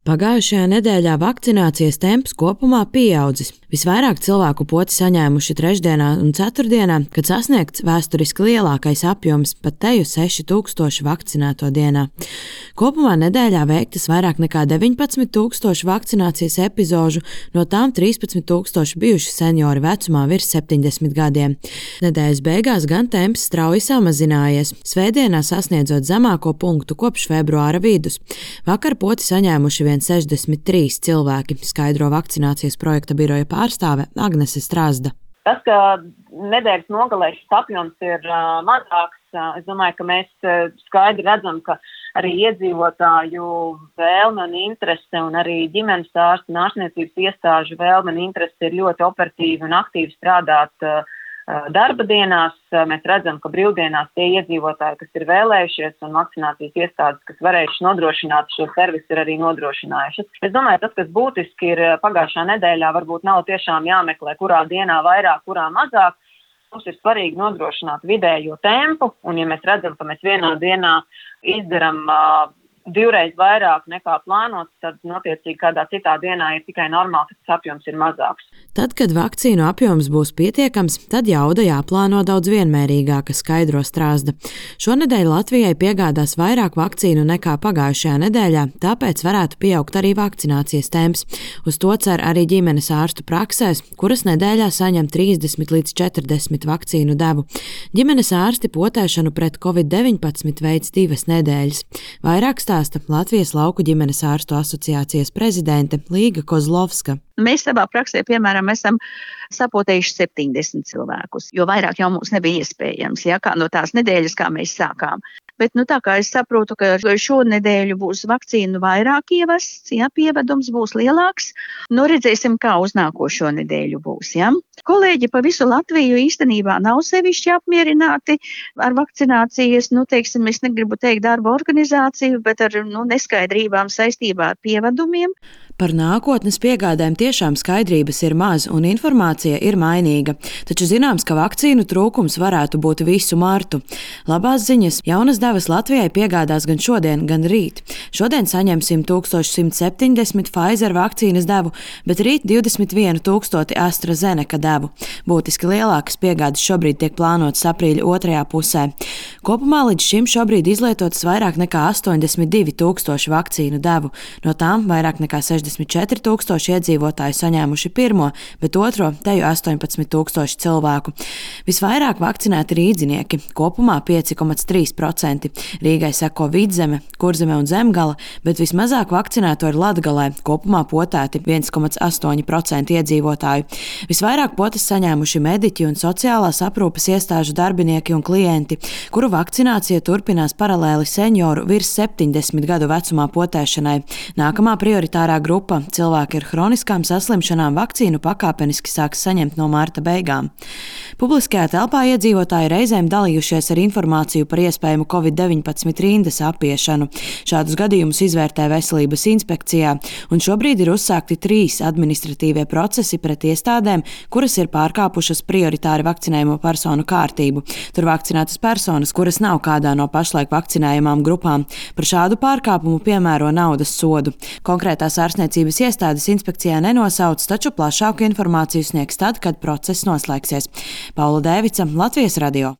Pagājušajā nedēļā vakcinācijas temps kopumā pieaudzis. Visvairāk cilvēku poti saņēmuši trešdienā un ceturtdienā, kad sasniegts vēsturiski lielākais apjoms - pat teju 6000 vakcinēto dienā. Kopumā nedēļā veiktas vairāk nekā 19 000 vakcinācijas epizožu, no tām 13 000 bijuši seniori vecumā virs 70 gadiem. Nedēļas beigās gan temps strauji samazinājies, svētdienā sasniedzot zemāko punktu kopš februāra vidus. Vakar poti saņēmuši 63 cilvēki, skaidro vakcinācijas projekta biroja pārstāve Agnese Strazda. Tas, ka nedēļas nogalē šis apjoms ir mazāks, es domāju, ka mēs skaidri redzam, ka arī iedzīvotāju vēlme un interese un arī ģimenes ārstu un ārstniecības iestāžu vēlme un interese ir ļoti operatīvi un aktīvi strādāt darba dienās. Mēs redzam, ka brīvdienās tie iedzīvotāji, kas ir vēlējušies un vakcinācijas iestādes, kas varējuši nodrošināt šo servisu, ir arī nodrošinājušas. Es domāju, tas, kas būtiski ir pagājušā nedēļā, varbūt nav tiešām jāmeklē, kurā dienā vairāk, kurā mazāk. Mums ir svarīgi nodrošināt vidējo tempu, un ja mēs redzam, ka mēs vienā dienā izdaram divreiz vairāk nekā plānots, tad notiecīgi kādā citā dienā ir tikai normāli, ka tas apjoms ir mazāks. Tad, kad vakcīnu apjoms būs pietiekams, tad jauda jāplāno daudz vienmērīgāka, skaidro Strazda. Šonedēļ Latvijai piegādās vairāk vakcīnu nekā pagājušajā nedēļā, tāpēc varētu pieaugt arī vakcinācijas temps. Uz to cer arī ģimenes ārstu praksēs, kuras nedēļā saņem 30 līdz 40 vakcīnu devu. Ģimenes ārsti potēšanu pret Covid-19 veids 2 nedēļas. Vairāk stāsta Latvijas lauku ģimenes ārstu asociācijas prezidente Līga Kozlovska. Mēs savā praksē, piemēram, esam sapotējuši 70 cilvēkus, jo vairāk jau mums nebija iespējams, kā no tās nedēļas, kā mēs sākām. Bet, tā kā es saprotu, ka šo nedēļu būs vakcīnu vairāk ievests, pievedums būs lielāks, redzēsim, kā uz nākošo nedēļu būs. Kolēģi pa visu Latviju īstenībā nav sevišķi apmierināti ar vakcinācijas, es negribu teikt darba organizāciju, bet ar neskaidrībām saistībā ar pievedumiem. Par nākotnes piegādēm tiešām skaidrības ir maz un informācija ir mainīga, taču zināms, ka vakcīnu trūkums varētu būt visu martu. Labās ziņas, jaunas devas Latvijai piegādās gan šodien, gan rīt. Šodien saņemsim 1170 Pfizer vakcīnas devu, bet rīt 21 000 AstraZeneca devu. Būtiski lielākas piegādes šobrīd tiek plānotas aprīļa otrajā pusē. Kopumā līdz šim šobrīd izlietotas vairāk nekā 82 000 vakcīnu devu, no tām vairāk nekā 64 000 iedzīvotāji saņēmuši pirmo, bet otro teju 18 000 cilvēku. Visvairāk vakcinēti rīdzinieki, kopumā 5,3%. Rīgai seko Vidzeme, Kurzeme un Zemgala, bet vismazāk vakcinēto ir Latgalē, kopumā potēti 1,8% iedzīvotāju. Visvairāk potes saņēmuši mediķi un sociālās aprūpes iestāžu darbinieki un klienti, kuru vakcinācija turpinās paralēli senioru virs 70 gadu vecumā potēšanai. Nākamā prioritārā grupa - cilvēki ar hroniskām saslimšanām vakcīnu pakāpeniski sāks saņemt no marta beigām. Publiskajā telpā iedzīvotāji reizēm dalījušies ar informāciju par iespējamu Covid-19 rindas apiešanu. Šādus gadījumus izvērtē Veselības inspekcijā, un šobrīd ir uzsākti 3 administratīvie procesi pret iestādēm, kuras ir pārkāpušas prioritāri vakcinējumu personu kārtību. Tur vakcinētas personas, kuras nav kādā no pašlaik vakcinējamām grupām. Par šādu pārkāpumu piemēro naudas sodu. Konkrētās ārstniecības iestādes inspekcijā nenosauc, taču plašāku informāciju sniegs tad, kad process noslēgsies. Paula Dēvica, Latvijas radio.